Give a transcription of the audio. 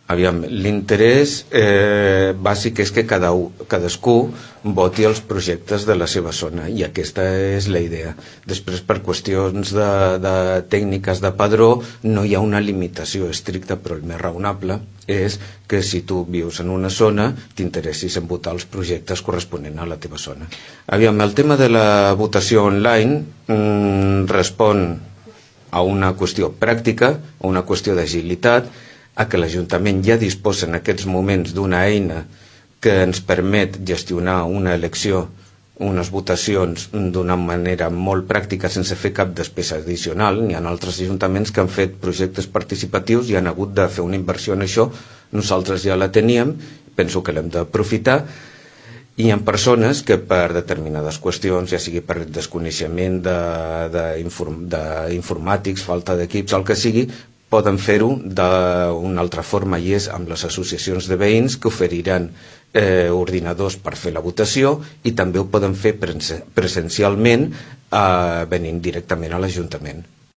Aviam, l'interès bàsic és que cadascú voti els projectes de la seva zona, i aquesta és la idea. Després, per qüestions de tècniques de padró, no hi ha una limitació estricta, però el més raonable és que si tu vius en una zona t'interessis en votar els projectes corresponents a la teva zona. Aviam, el tema de la votació online respon a una qüestió pràctica, a una qüestió d'agilitat, a que l'Ajuntament ja disposa en aquests moments d'una eina que ens permet gestionar una elecció, unes votacions d'una manera molt pràctica sense fer cap despesa addicional. N'hi ha altres ajuntaments que han fet projectes participatius i han hagut de fer una inversió en això. Nosaltres ja la teníem, penso que l'hem d'aprofitar. Hi ha persones que per determinades qüestions, ja sigui per desconeixement d'informàtics, falta d'equips, el que sigui, poden fer-ho d'una altra forma, i és amb les associacions de veïns que oferiran ordinadors per fer la votació, i també ho poden fer presencialment venint directament a l'Ajuntament.